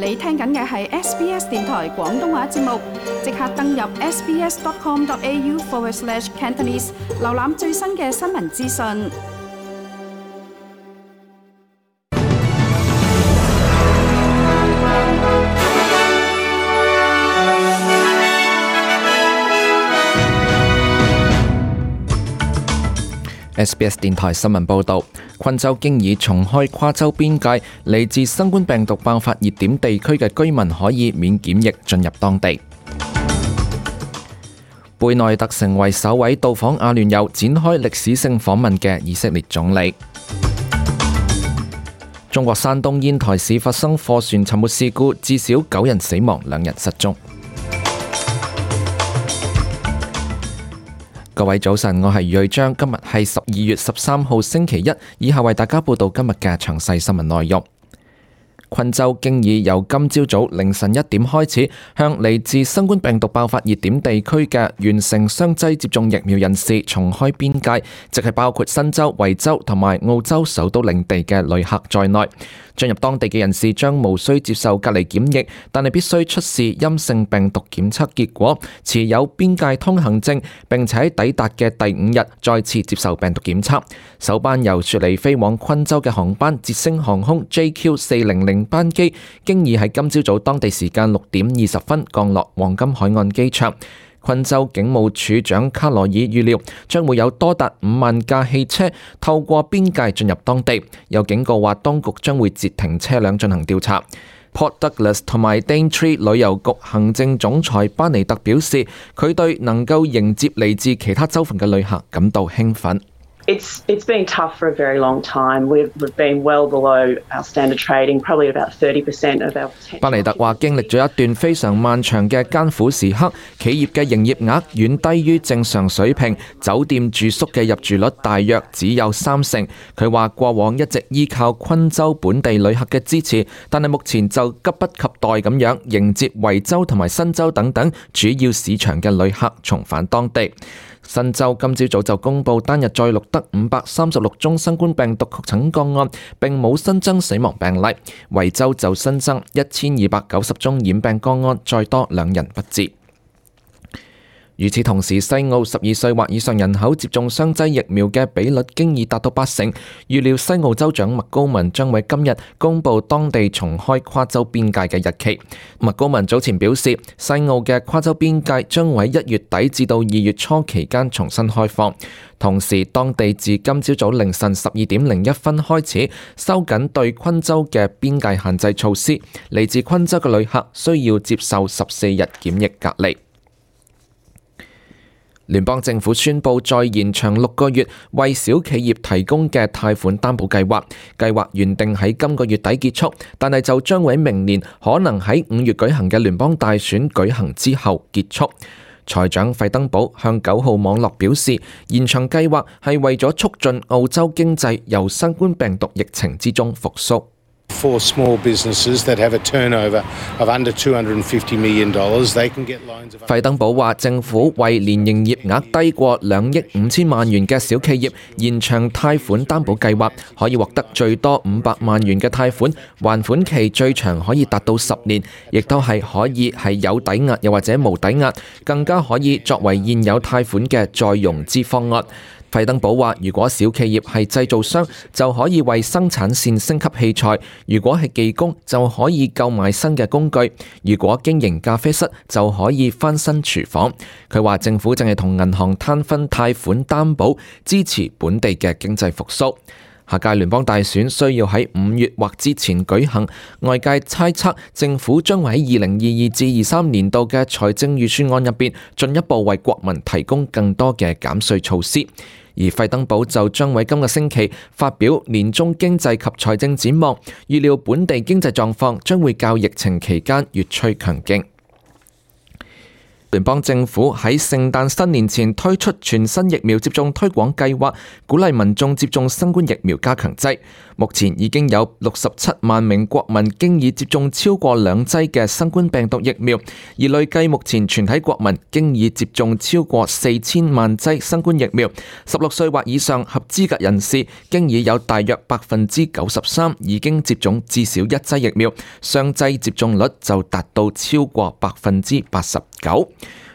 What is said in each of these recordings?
你聽緊嘅係 SBS 電台廣東話節目，即刻登入 sbs.com.au/Cantonese 瀏覽最新嘅新聞資訊。SBS 電台新聞報導，昆州經已重開跨州邊界，嚟自新冠病毒爆發熱點地區嘅居民可以免檢疫進入當地。貝內特成為首位到訪阿聯酋展開歷史性訪問嘅以色列總理。中國山東煙台市發生貨船沉沒事故，至少9人死亡，2人失蹤。各位早晨，我係余瑞章，今日係12月13號星期一，以下為大家報道今日嘅詳細新聞內容。昆州經已由今朝早凌晨1點開始，向嚟自新冠病毒爆發熱點地區嘅完成雙劑接種疫苗人士重開邊界，即係包括新州、維州同埋澳洲首都領地嘅旅客在內。進入當地嘅人士將無需接受隔離檢疫，但係必須出示陰性病毒檢測結果，持有邊界通行證，並且喺抵達嘅第5日再次接受病毒檢測。首班由雪梨飛往昆州嘅航班捷星航空 JQ400 班機，經已喺今朝早當地時間6點20分降落黃金海岸機場。昆州警務處長卡羅爾預料將會有多達5萬架汽車透過邊界進入當地，有警告話當局將會截停車輛進行調查。Port Douglas 同埋 Daintree 旅遊局行政總裁巴尼特表示，佢對能夠迎接嚟自其他州份嘅旅客感到興奮。It's been tough for a very long time. We've been well below our standard trading, probably about 30% of our potential. 巴尼特話經歷咗一段非常漫長嘅艱苦時刻，企業嘅營業額遠低於正常水平，酒店住宿嘅入住率大約只有30%。佢話過往一直依靠昆州本地旅客嘅支持，但係目前就急不及待咁樣迎接維州同埋新州等等主要市場嘅旅客重返當地。新州今朝早就公布單日再錄得536宗新冠病毒確診個案，並冇新增死亡病例。維州就新增1290宗染病個案，再多2人不治。與此同時，西澳12歲或以上人口接種雙劑疫苗嘅比率經已達到80%。預料西澳州長麥高文將喺今日公布當地重開跨州邊界嘅日期。麥高文早前表示，西澳嘅跨州邊界將會喺1月底至到2月初期間重新開放。同時，當地自今朝早凌晨12點01分開始收緊對昆州嘅邊界限制措施，嚟自昆州嘅旅客需要接受14日檢疫隔離。聯邦政府宣布再延長6個月為小企業提供嘅貸款擔保計劃，計劃原定喺今個月底結束，但係就將會喺明年可能喺5月舉行嘅聯邦大選舉行之後結束。財長費登堡向9號網絡表示，延長計劃係為咗促進澳洲經濟由新冠病毒疫情之中復甦。For small businesses that have a turnover of under $250 million, they can get loans of... 費登堡話，政府為年營業額低過2億5千萬元嘅小企業延長貸款擔保計劃，可以獲得最多500萬元嘅貸款，還款期最長可以達到10年，亦都係可以係有抵押又或者無抵押，更加可以作為現有貸款嘅再融資方案。費登堡話，如果小企業係製造商，就可以為生產線升級器材；如果係技工，就可以購買新嘅工具；如果經營咖啡室，就可以翻新廚房。佢話政府正係同銀行攤分貸款擔保，支持本地嘅經濟復甦。下屆聯邦大選需要喺5月或之前舉行，外界猜測政府將會喺2022至23年度嘅財政預算案入邊進一步為國民提供更多嘅減稅措施。而費登堡就將喺今個星期發表年中經濟及財政展望，預料本地經濟狀況將會較疫情期間越趨強勁。聯邦政府喺聖誕新年前推出全新疫苗接種推廣計劃，鼓勵民眾接種新冠疫苗加強劑。目前已經有67萬名國民經已接種超過2劑嘅新冠病毒疫苗，而累計目前全體國民經已接種超過4000萬劑新冠疫苗。16歲或以上合資格人士經已有大約93%已經接種至少1劑疫苗，雙劑接種率就達到超過89%。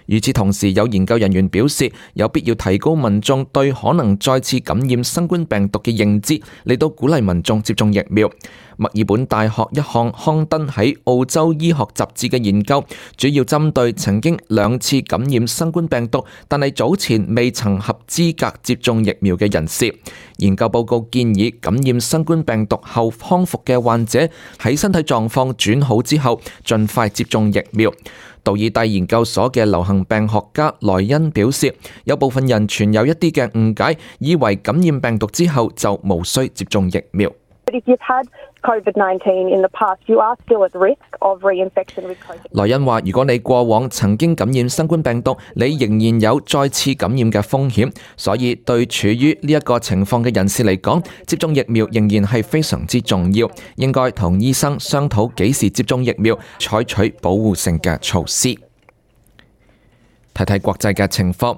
與此同時，有研究人員表示，有必要提高民眾對可能再次感染新冠病毒嘅認知，嚟到鼓勵民眾接種疫苗。墨爾本大學一項刊登喺澳洲醫學雜誌嘅研究，主要針對曾經2次感染新冠病毒，但係早前未曾合資格接種疫苗嘅人士。研究報告建議，感染新冠病毒後康復嘅患者喺身體狀況轉好之後，盡快接種疫苗。道爾蒂研究所嘅流行病學家萊恩表示，有部分人存有一啲嘅誤解，以為感染病毒之後就無需接種疫苗。萊恩話：如果你過往曾經感染新冠病毒，你仍然有再次感染嘅風險，所以對處於呢一個情況嘅人士嚟講，接種疫苗仍然係非常之重要，應該同醫生商討幾時接種疫苗，採取保護性嘅措施。睇睇國際嘅情況。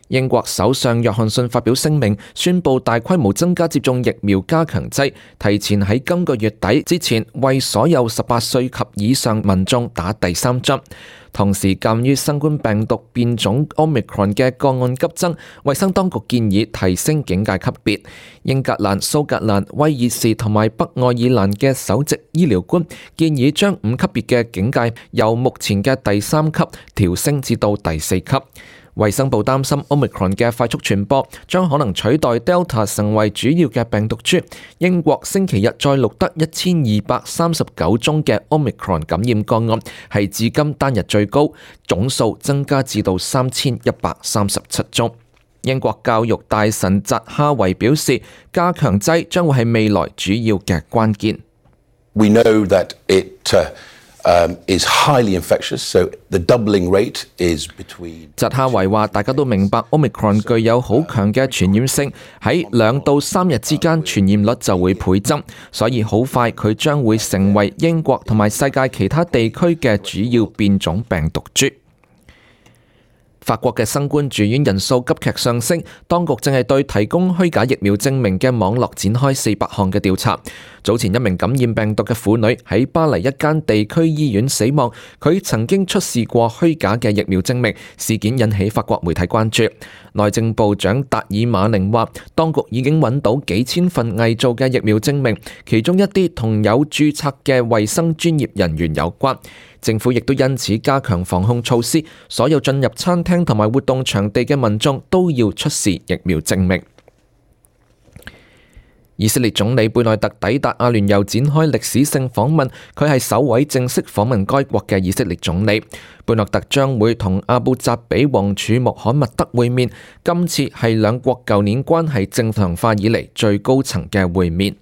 英國首相約翰遜發表聲明，宣布大規模增加接種疫苗加強劑，提前喺今個月底之前為所有18歲及以上民眾打第3針。同時，鑑於新冠病毒變種 Omicron 嘅個案急增，衛生當局建議提升警戒級別。英格蘭、蘇格蘭、威爾士同埋北愛爾蘭嘅首席醫療官建議將5級別嘅警戒由目前嘅第3級調升至到第4級。衛生部擔心 Omicron 嘅快速傳播將可能取代 Delta 成為主要嘅病毒株。英國星期日再錄得1239宗嘅 Omicron 感染個案，係至今單日最高，總數增加至到3137宗。英國教育大臣扎哈維表示，加強劑將會係未來主要嘅關鍵。We know that is highly infectious, so the doubling rate is between。扎哈維話：大家都明白 Omicron 具有好強嘅傳染性，喺2到3日之間傳染率就會倍增，所以好快佢將會成為英國同埋世界其他地區嘅主要變種病毒株。法國嘅新冠住院人數急劇上升，當局正係對提供虛假疫苗證明嘅網絡展開400項嘅調查。早前一名感染病毒嘅婦女喺巴黎一間地區醫院死亡，佢曾經出示過虛假嘅疫苗證明，事件引起法國媒體關注。內政部長達爾馬寧話，當局已經揾到幾千份偽造嘅疫苗證明，其中一啲同有註冊嘅衛生專業人員有關。政府亦都因此加強防控措施，所有進入餐廳同埋活動場地嘅民眾都要出示疫苗證明。以色列總理貝內特抵達阿聯酋展開歷史性訪問，佢係首位正式訪問該國嘅以色列總理。貝內特將會同阿布扎比王儲穆罕默德會面，今次係兩國舊年關係正常化以嚟最高層嘅會面。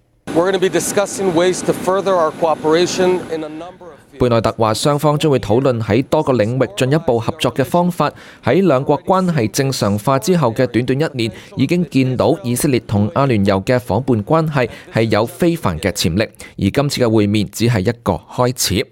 貝內特話，雙方將會討論喺多個領域進一步合作嘅方法。喺兩國關係正常化之後嘅短短1年，已經見到以色列同阿聯酋嘅夥伴關係係有非凡嘅潛力，而今次嘅會面只係一個開始。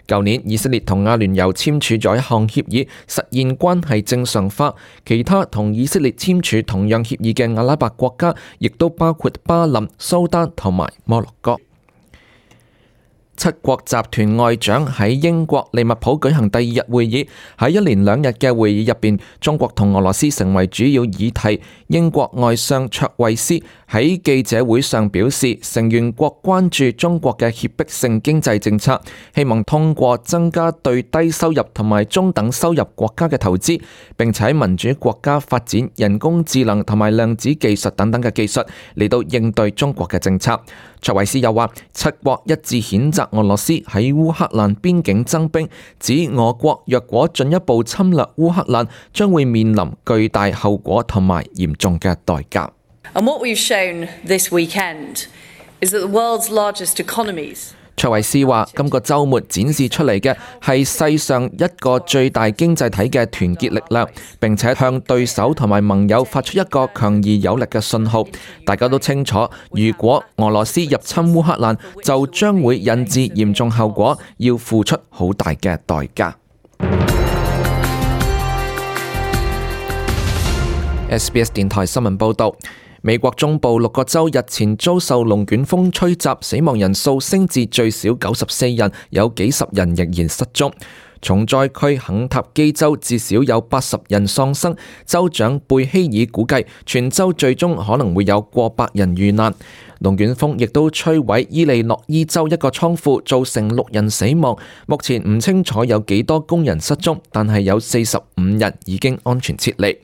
舊年以色列同阿聯酋簽署咗一項協議，實現關係正常化。其他同以色列簽署同樣協議嘅阿拉伯國家，亦都包括巴林、蘇丹同埋摩洛哥。7國集團外長喺英國利物浦舉行第2日會議，喺一連2日嘅會議入邊，中國同俄羅斯成為主要議題。英國外相卓慧思喺記者會上表示，成員國關注中國嘅脅迫性經濟政策，希望通過增加對低收入同埋中等收入國家嘅投資，並且喺民主國家發展人工智能同埋量子技術等等嘅技術嚟到應對中國嘅政策。卓慧思又話，7國一致譴責俄羅斯喺烏克蘭邊境增兵，指俄國若果進一步侵略烏克蘭，將會面臨巨大後果同埋嚴重嘅代價。And what we've shown this weekend is that the world's largest economies 卓慧思話：今個週末展示出嚟嘅係世上一個最大經濟體嘅團結力量，並且向對手同埋盟友發出一個強而有力嘅信號。大家都清楚，如果俄羅斯入侵烏克蘭，就將會引致嚴重後果，要付出好大嘅代價。SBS 電台新聞報導。美國中部6個州日前遭受龍捲風吹襲，死亡人數升至最少94人，有幾十人仍然失蹤。重災區肯塔基州至少有80人喪生，州長貝希爾估計全州最終可能會有過百人遇難。龍捲風亦都摧毀伊利諾伊州一個倉庫，造成6人死亡。目前唔清楚有幾多工人失蹤，但係有45人已經安全撤離。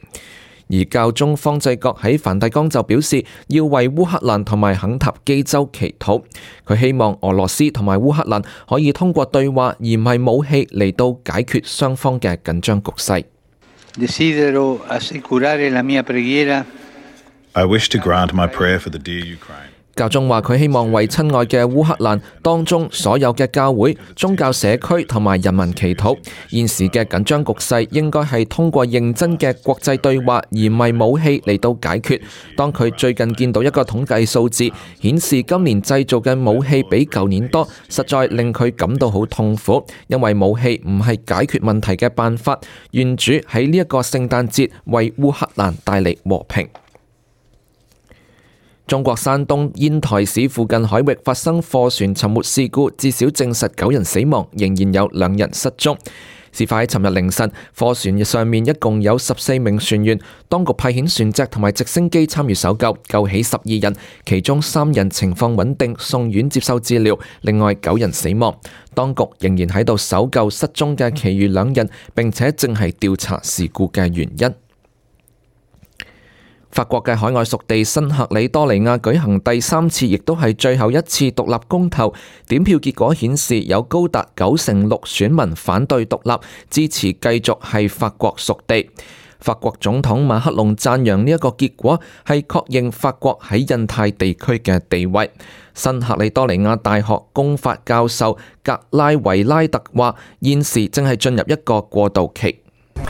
而教宗方濟各喺梵蒂岡就表示要為烏克蘭同埋肯塔基州祈禱，佢希望俄羅斯同埋烏克蘭可以通過對話而唔係武器嚟到解決雙方嘅緊張局勢。I wish to grant my prayer for the dear Ukraine. 教宗話佢希望為親愛嘅烏克蘭當中所有嘅教會、宗教社區同埋人民祈禱。現時嘅緊張局勢應該係通過認真嘅國際對話，而唔係武器嚟到解決。當佢最近見到一個統計數字，顯示今年製造嘅武器比舊年多，實在令佢感到好痛苦，因為武器唔係解決問題嘅辦法。願主喺呢一個聖誕節為烏克蘭帶嚟和平。中國山東煙台市附近海域發生貨船沉沒事故，至少證實9人死亡，仍然有2人失蹤。事發喺尋日凌晨，貨船上面一共有14名船員，當局派遣船隻同埋直升機參與搜救，救起12人，其中3人情況穩定，送院接受治療，另外9人死亡。當局仍然喺度搜救失蹤嘅其餘2人，並且正係調查事故嘅原因。法國嘅海外屬地新喀里多尼亞舉行第3次，亦都係最後一次獨立公投。點票結果顯示，有高達96%選民反對獨立，支持繼續係法國屬地。法國總統馬克龍讚揚呢一個結果，係確認法國喺印太地區嘅地位。新喀里多尼亞大學公法教授格拉維拉特話：現時正係進入一個過渡期。New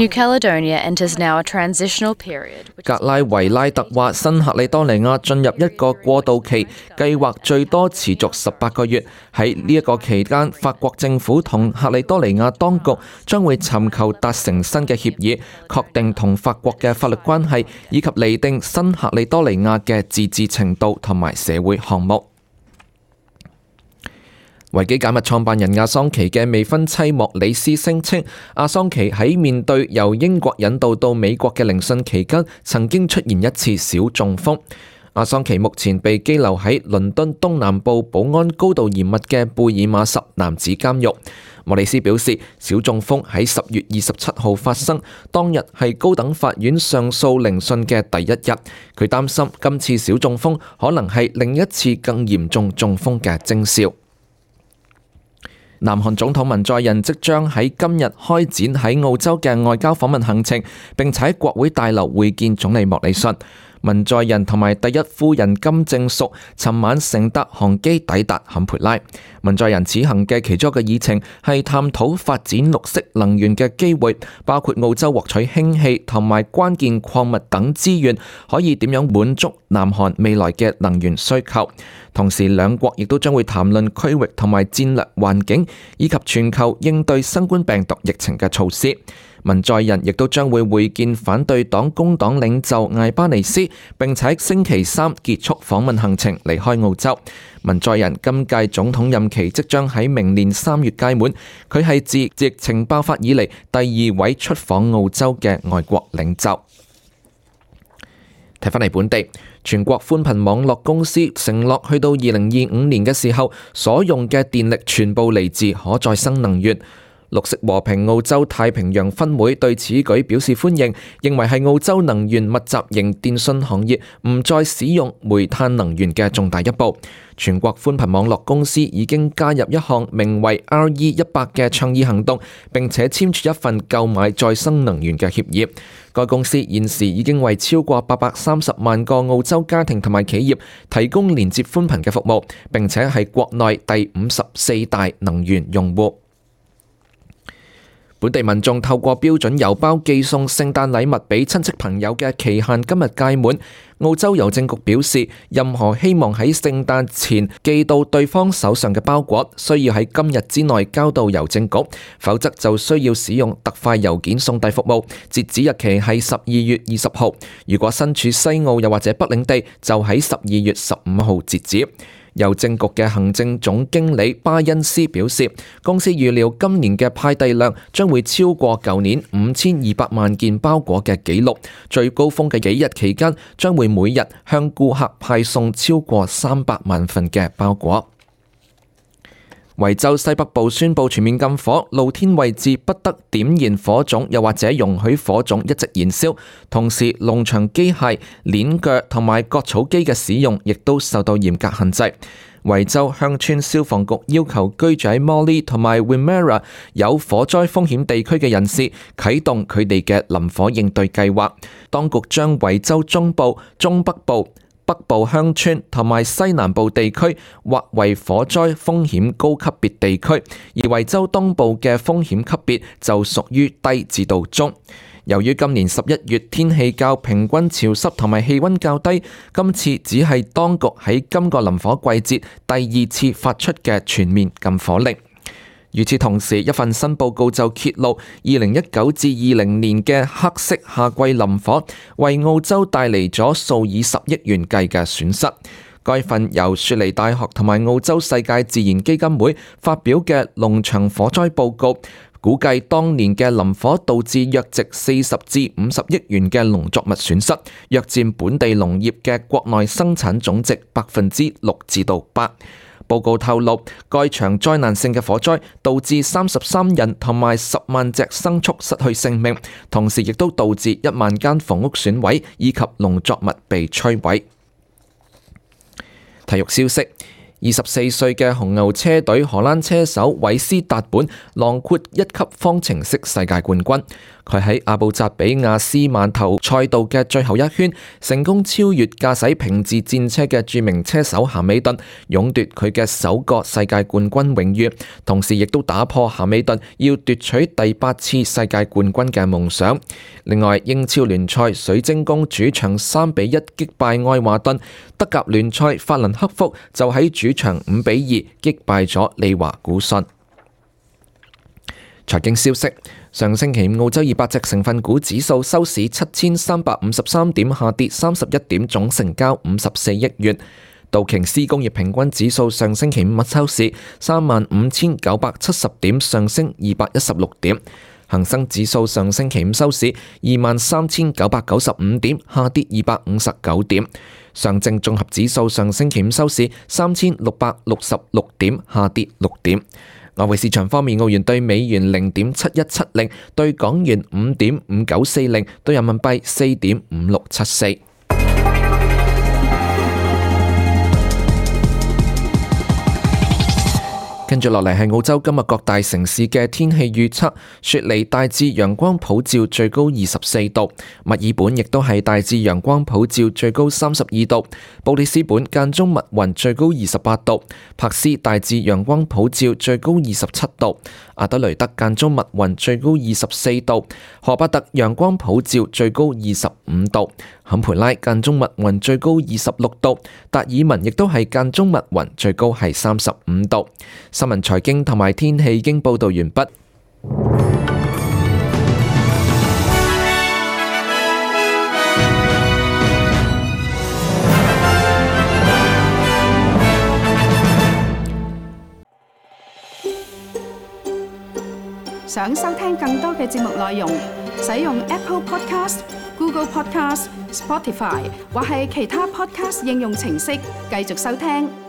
Caledonia enters now a transitional period. 格拉維拉特話：新喀里多尼亞進入一個過渡期，計劃最多持續18個月。喺呢一個期間，法國政府同喀里多尼亞當局將會尋求達成新嘅協議，確定同法國嘅法律關係，以及釐定新喀里多尼亞嘅自治程度同埋社會項目。維基解密創辦人阿桑奇嘅未婚妻莫里斯聲稱，阿桑奇喺面對由英國引渡到美國嘅聆訊期間，曾經出現一次小中風。阿桑奇目前被羈留喺倫敦東南部保安高度嚴密嘅貝爾馬什男子監獄。莫里斯表示，小中風喺10月27號發生，當日係高等法院上訴聆訊嘅第一日。佢擔心今次小中風可能係另一次更嚴重中風嘅徵兆。南韓總統文在寅即將喺今日開展喺澳洲嘅外交訪問行程，並且喺國會大樓會見總理莫里遜。文在寅同埋第一夫人金正淑尋晚乘搭航機抵達坎培拉。文在寅此行嘅其中一個議程係探討發展綠色能源嘅機會，包括澳洲獲取氫氣同埋關鍵礦物等資源，可以點樣滿足南韓未來嘅能源需求。同時，兩國亦都將會談論區域同埋戰略環境，以及全球應對新冠病毒疫情嘅措施。文在寅亦都將會會見反對黨工黨領袖艾巴尼斯，並且星期3結束訪問行程離開澳洲。文在寅今屆總統任期即將喺明年3月屆滿，佢係自疫情爆發以嚟第2位出訪澳洲嘅外國領袖。睇返嚟本地，全國寬頻網絡公司承諾去到2025年嘅時候，所用嘅電力全部嚟自可再生能源。綠色和平澳洲太平洋分會對此舉表示歡迎，認為係澳洲能源密集型電信行業唔再使用煤炭能源嘅重大一步。全國寬頻網絡公司已經加入一項名為 RE100 嘅倡議行動，並且簽署一份購買再生能源嘅協議。該公司現時已經為超過830萬個澳洲家庭同埋企業提供連接寬頻嘅服務，並且係國內第54大能源用戶。本地民眾透過標準郵包寄送聖誕禮物俾親戚朋友嘅期限今日屆滿。澳洲郵政局表示，任何希望喺聖誕前寄到對方手上嘅包裹，需要喺今日之內交到郵政局，否則就需要使用特快郵件送遞服務。截止日期係12月20號。如果身處西澳又或者北領地，就喺12月15號截止。郵政局嘅行政總經理巴恩斯表示，公司預料今年嘅派遞量將會超過舊年5200萬件包裹嘅紀錄，最高峰嘅幾日期間將會每日向顧客派送超過300萬份嘅包裹。維州西北部宣布全面禁火，露天位置不得點燃火種，又或者容許火種一直燃燒。同時，農場機械、鏈鋸同埋割草機嘅使用亦都受到嚴格限制。維州鄉村消防局要求居住喺 Morley 同埋 Wimmera 有火災風險地區嘅人士啟動佢哋嘅林火應對計劃。當局將維州中部、中北部、北部鄉村同埋西南部地區劃為火災風險高級別地區，而維州東部嘅風險級別就屬於低至到中。由於今年11月天氣較平均潮濕同埋氣溫較低，今次只係當局喺今個林火季節第2次發出嘅全面禁火令。與此同時，一份新報告就揭露2019至20年嘅黑色夏季林火為澳洲帶嚟咗數以10億元計嘅損失。該份由雪梨大學同埋澳洲世界自然基金會發表嘅農場火災報告，估計當年嘅林火導致約值40至50億元嘅農作物損失，約佔本地農業嘅國內生產總值6%至到8%。報告透露，該場災難性嘅火災導致33人同埋10萬隻牲畜失去性命，同時亦都導致1萬間房屋損毀以及農作物被摧毀。體育消息：24歲嘅紅牛車隊荷蘭車手韋斯達本囊括1級方程式世界冠軍。佢喺阿布扎比亞斯曼頭賽道嘅最後一圈，成功超越駕駛平治戰車嘅著名車手咸美頓，勇奪佢嘅首個世界冠軍榮譽，同時亦都打破咸美頓要奪取第8次世界冠軍嘅夢想。另外，英超聯賽水晶宮主場3-1擊敗愛華頓，德甲聯賽法蘭克福就喺主場5-2擊敗咗利華古遜。財經消息：上星期五澳洲200隻成分股指數收市7353點，下跌31點，總成交54億元。道瓊斯工業平均指數上星期五收市35970點，上升216點。恒生指數上星期五收市23995點，下跌259點。上證綜合指數上星期五收市3666點，下跌6點。外匯市場方面，澳元兌美元0.7170，兌港元5.5940，兌人民幣4.5674。跟住落嚟係澳洲今日各大城市嘅天氣預測。雪梨大致陽光普照，最高24度；墨爾本亦都係大致陽光普照，最高32度；布里斯本間中密雲，最高28度；柏斯大致陽光普照，最高27度；阿德雷德間中密雲，最高24度；荷巴特陽光普照，最高25度；坎培拉間中密雲，最高26度；達爾文亦都係間中密雲，最高係35度。新聞財經同埋天氣已經報道完畢。想收聽更多嘅節目內容，使用 Apple Podcast、Google Podcast、Spotify 或係其他 Podcast 應用程式繼續收聽。